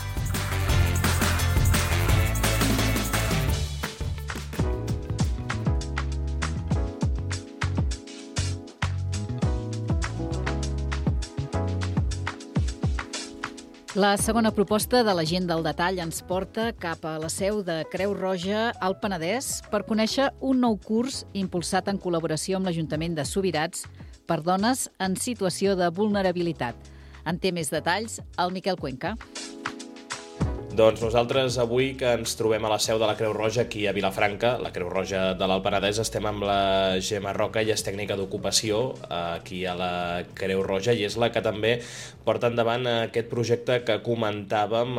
S3: La segona proposta de la gent del detall ens porta cap a la seu de Creu Roja al Penedès per conèixer un nou curs impulsat en col·laboració amb l'Ajuntament de Subirats per dones en situació de vulnerabilitat. En té més detalls el Miquel Cuenca.
S12: Doncs nosaltres avui que ens trobem a la seu de la Creu Roja aquí a Vilafranca, la Creu Roja de l'Alt Penedès, estem amb la Gemma Roca, ella és tècnica d'ocupació aquí a la Creu Roja i és la que també porta endavant aquest projecte que comentàvem,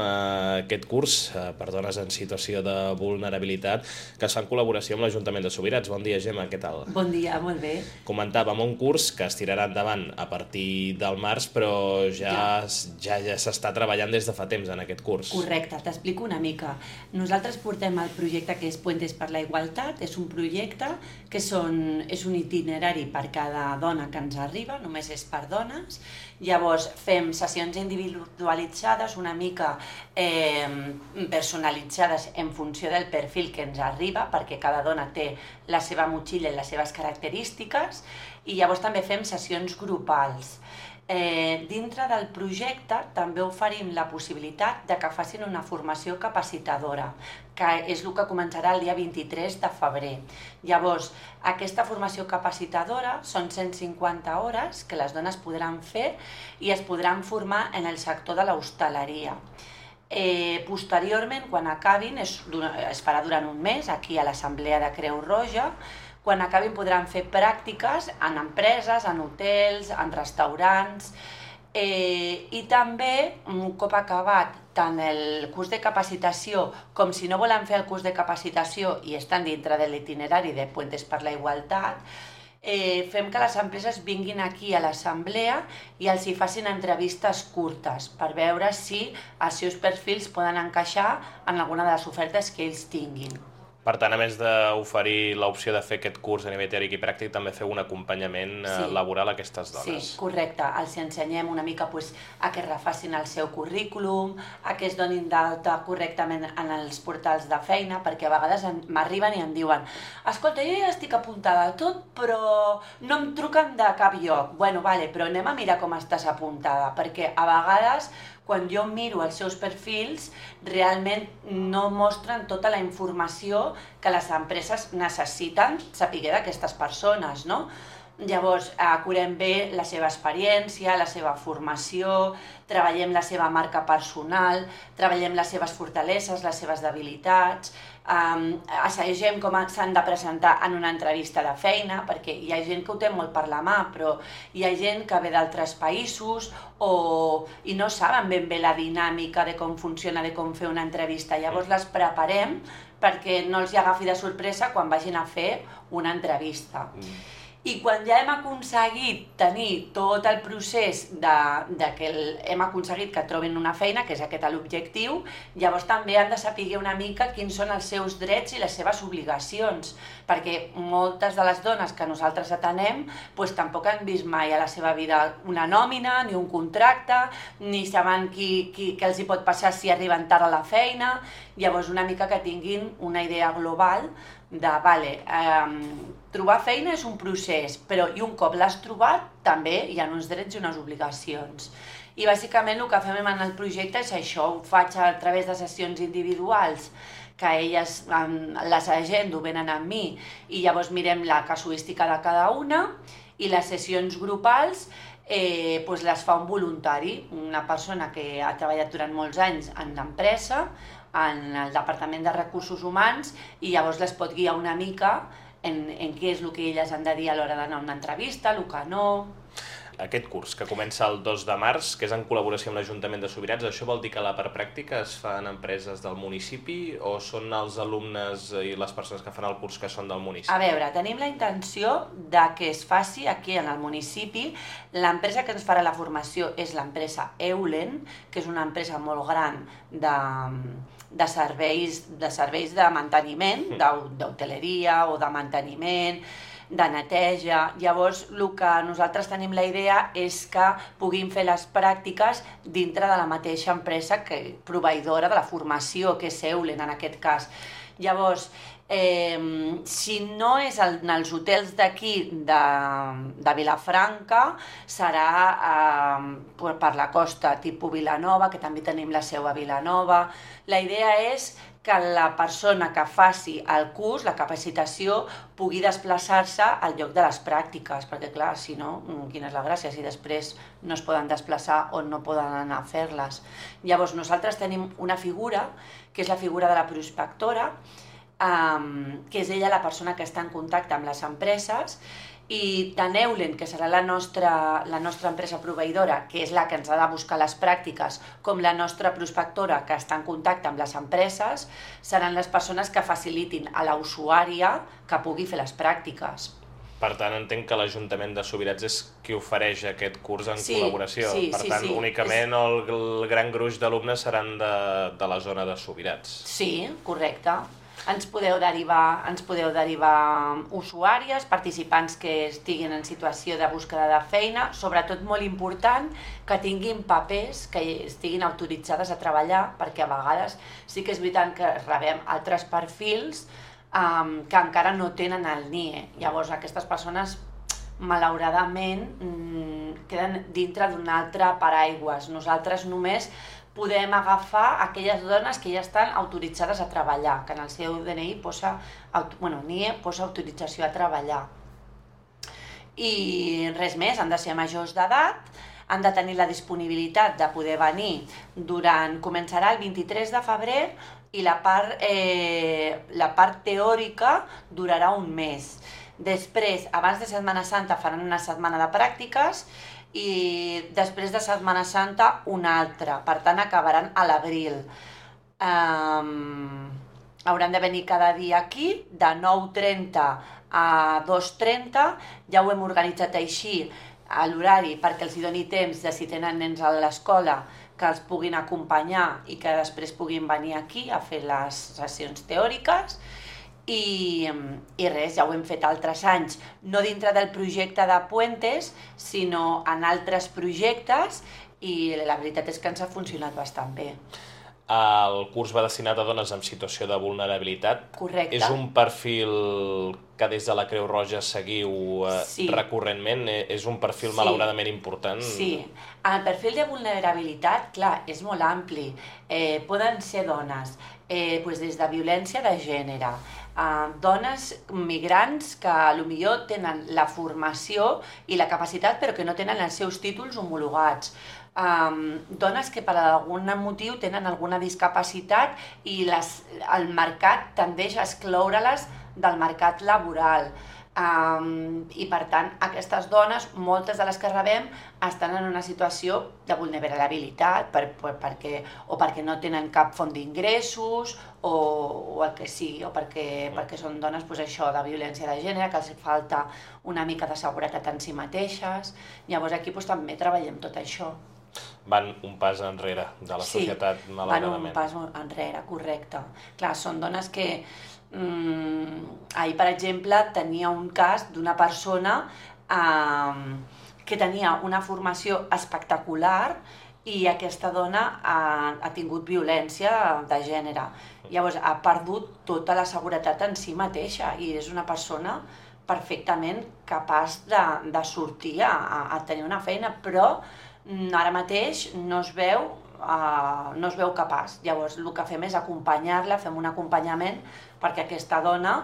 S12: aquest curs per dones en situació de vulnerabilitat que es fa en col·laboració amb l'Ajuntament de Subirats. Bon dia, Gemma, què tal?
S13: Bon dia, molt bé.
S12: Comentàvem un curs que es tirarà endavant a partir del març, però ja, ja, ja s'està treballant des de fa temps en aquest curs.
S13: Correcte. T'explico una mica. Nosaltres portem el projecte que és Puentes per la Igualtat. És un projecte que són, és un itinerari per cada dona que ens arriba, només és per dones. Llavors fem sessions individualitzades, una mica eh, personalitzades en funció del perfil que ens arriba, perquè cada dona té la seva motxilla i les seves característiques, i llavors també fem sessions grupals. Eh, dintre del projecte també oferim la possibilitat de que facin una formació capacitadora, que és el que començarà el dia vint-i-tres de febrer. Llavors, aquesta formació capacitadora són cent cinquanta hores que les dones podran fer i es podran formar en el sector de l'hostaleria. Eh, posteriorment, quan acabin, es, es farà durant un mes aquí a l'Assemblea de Creu Roja. Quan acabin podran fer pràctiques en empreses, en hotels, en restaurants, eh, i també, un cop acabat tant el curs de capacitació com si no volen fer el curs de capacitació i estan dintre de l'itinerari de Puentes per la Igualtat, eh, fem que les empreses vinguin aquí a l'assemblea i els hi facin entrevistes curtes per veure si els seus perfils poden encaixar en alguna de les ofertes que ells tinguin.
S12: Per tant, a més d'oferir l'opció de fer aquest curs a nivell teòric i pràctic, també feu un acompanyament sí. laboral a aquestes dones.
S13: Sí, correcte. Els ensenyem una mica pues, a que refacin el seu currículum, a que es donin d'alta correctament en els portals de feina, perquè a vegades m'arriben i em diuen escolta, jo ja estic apuntada a tot, però no em truquen de cap lloc. Bueno, vale, però anem a mirar com estàs apuntada, perquè a vegades quan jo miro els seus perfils, realment no mostren tota la informació que les empreses necessiten saber d'aquestes persones, no? Llavors, acurem bé la seva experiència, la seva formació, treballem la seva marca personal, treballem les seves fortaleses, les seves debilitats, um, assagem com s'han de presentar en una entrevista de feina, perquè hi ha gent que ho té molt per la mà, però hi ha gent que ve d'altres països o, i no saben ben bé la dinàmica de com funciona, de com fer una entrevista. Llavors les preparem perquè no els hi agafi de sorpresa quan vagin a fer una entrevista. I quan ja hem aconseguit tenir tot el procés de, de que el, hem aconseguit que trobin una feina, que és aquest l'objectiu, llavors també han de saber una mica quins són els seus drets i les seves obligacions, perquè moltes de les dones que nosaltres atenem pues, tampoc han vist mai a la seva vida una nòmina, ni un contracte, ni saben qui, qui, què els hi pot passar si arriben tard a la feina, llavors una mica que tinguin una idea global de, vale, eh, trobar feina és un procés, però i un cop l'has trobat, també hi ha uns drets i unes obligacions. I bàsicament el que fem en el projecte és això, ho faig a través de sessions individuals, que elles, les agendo, venen amb mi, i llavors mirem la casuística de cada una, i les sessions grupals eh, doncs les fa un voluntari, una persona que ha treballat durant molts anys en l'empresa, en el Departament de Recursos Humans, i llavors les pot guiar una mica en, en què és el que elles han de dir a l'hora d'anar a una entrevista, el que no...
S12: Aquest curs, que comença el dos de març, que és en col·laboració amb l'Ajuntament de Subirats, això vol dir que la part pràctica es fa en empreses del municipi o són els alumnes i les persones que fan el curs que són del municipi?
S13: A veure, tenim la intenció de que es faci aquí en el municipi. L'empresa que ens farà la formació és l'empresa Eulen, que és una empresa molt gran de, de, serveis, de serveis de manteniment, d'hoteleria o de manteniment, de neteja. Llavors, el que nosaltres tenim la idea és que puguin fer les pràctiques dintre de la mateixa empresa que proveïdora de la formació, que és Eulen en aquest cas. Llavors, eh, si no és en els hotels d'aquí de, de Vilafranca, serà eh, per la costa, tipus Vilanova, que també tenim la seu a Vilanova. La idea és que la persona que faci el curs, la capacitació, pugui desplaçar-se al lloc de les pràctiques, perquè clar, si no, quina és la gràcia, si després no es poden desplaçar o no poden anar a fer-les. Llavors, nosaltres tenim una figura, que és la figura de la prospectora, um, que és ella la persona que està en contacte amb les empreses, i tant Eulen, que serà la nostra, la nostra empresa proveïdora, que és la que ens ha de buscar les pràctiques, com la nostra prospectora, que està en contacte amb les empreses, seran les persones que facilitin a la usuària que pugui fer les pràctiques.
S12: Per tant, entenc que l'Ajuntament de Subirats és qui ofereix aquest curs en
S13: sí,
S12: col·laboració.
S13: Sí,
S12: per
S13: sí,
S12: tant,
S13: sí.
S12: únicament el, el gran gruix d'alumnes seran de, de la zona de Subirats.
S13: Sí, correcte. Ens podeu derivar, ens podeu derivar usuàries, participants que estiguin en situació de búsqueda de feina, sobretot molt important que tinguin papers que estiguin autoritzades a treballar, perquè a vegades sí que és veritat que rebem altres perfils um, que encara no tenen el N I E. Llavors aquestes persones malauradament mm, queden dintre d'un altre paraigües. Nosaltres només podem agafar aquelles dones que ja estan autoritzades a treballar, que en el seu D N I posa, bueno, N I E posa autorització a treballar. I res més, han de ser majors d'edat, han de tenir la disponibilitat de poder venir durant, començarà el vint-i-tres de febrer i la part, eh, la part teòrica durarà un mes. Després, abans de Setmana Santa faran una setmana de pràctiques i després de Setmana Santa una altra, per tant acabaran a l'abril. Um, hauran de venir cada dia aquí, de nou trenta a dos trenta, ja ho hem organitzat així a l'horari perquè els hi doni temps de si tenen nens a l'escola que els puguin acompanyar i que després puguin venir aquí a fer les sessions teòriques. I, i res, ja ho hem fet altres anys, no dintre del projecte de Puentes, sinó en altres projectes, i la veritat és que ens ha funcionat bastant bé.
S12: El curs va destinat a dones en situació de vulnerabilitat.
S13: Correcte.
S12: És un perfil que des de la Creu Roja seguiu eh, sí. recurrentment? És un perfil sí. malauradament important?
S13: Sí. El perfil de vulnerabilitat, clar, és molt ampli. Eh, poden ser dones eh, pues des de violència de gènere, Uh, dones migrants que potser tenen la formació i la capacitat però que no tenen els seus títols homologats, um, dones que per algun motiu tenen alguna discapacitat i les, el mercat tendeix a excloure-les del mercat laboral. Um, I per tant aquestes dones, moltes de les que rebem, estan en una situació de vulnerabilitat per, per, perquè, o perquè no tenen cap font d'ingressos o, o el que sigui, o perquè, perquè són dones pues, això, de violència de gènere, que els falta una mica de seguretat en si mateixes. Llavors aquí pues, també treballem tot això.
S12: Van un pas enrere de la
S13: sí,
S12: societat, malauradament.
S13: Van un pas enrere, correcte. Clar, són dones que Mm, ahir, per exemple, tenia un cas d'una persona eh, que tenia una formació espectacular i aquesta dona ha, ha tingut violència de gènere. Llavors, ha perdut tota la seguretat en si mateixa i és una persona perfectament capaç de, de sortir a, a tenir una feina, però ara mateix no es veu Uh, no es veu capaç. Llavors el que fem és acompanyar-la, fem un acompanyament perquè aquesta dona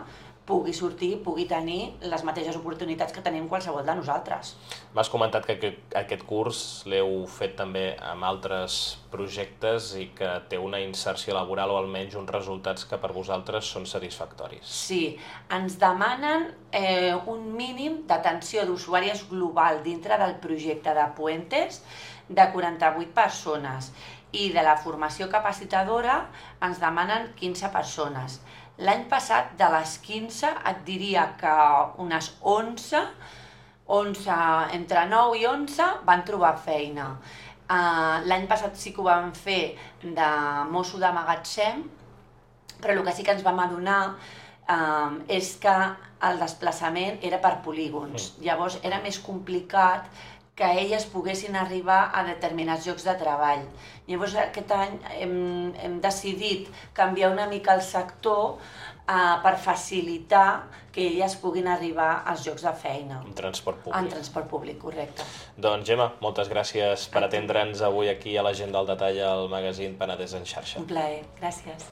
S13: pugui sortir, pugui tenir les mateixes oportunitats que tenim qualsevol de nosaltres.
S12: M'has comentat que aquest curs l'heu fet també amb altres projectes i que té una inserció laboral o almenys uns resultats que per vosaltres són satisfactoris.
S13: Sí, ens demanen eh, un mínim d'atenció d'usuàries global dintre del projecte de Puentes de quaranta-vuit persones i de la formació capacitadora ens demanen quinze persones. L'any passat, de les quinze, et diria que unes onze, onze entre nou i onze, van trobar feina. Uh, L'any passat sí que ho vam fer de mosso de magatzem, però el que sí que ens vam adonar uh, és que el desplaçament era per polígons. Llavors era més complicat que elles poguessin arribar a determinats llocs de treball. Llavors aquest any hem, hem decidit canviar una mica el sector uh, per facilitar que elles puguin arribar als llocs de feina.
S12: En transport públic.
S13: En transport públic, correcte.
S12: Doncs Gemma, moltes gràcies per atendre'ns avui aquí a l'Agenda al Detall al magazín Penedès en xarxa.
S13: Un plaer, gràcies.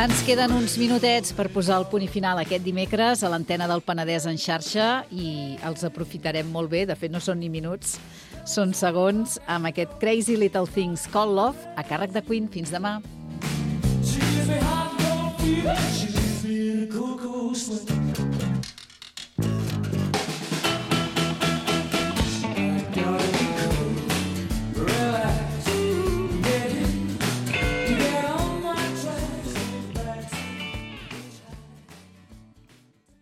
S3: Ens queden uns minutets per posar el punt i final aquest dimecres a l'antena del Penedès en xarxa i els aprofitarem molt bé, de fet no són ni minuts, són segons, amb aquest Crazy Little Things Called Love a càrrec de Queen. Fins demà.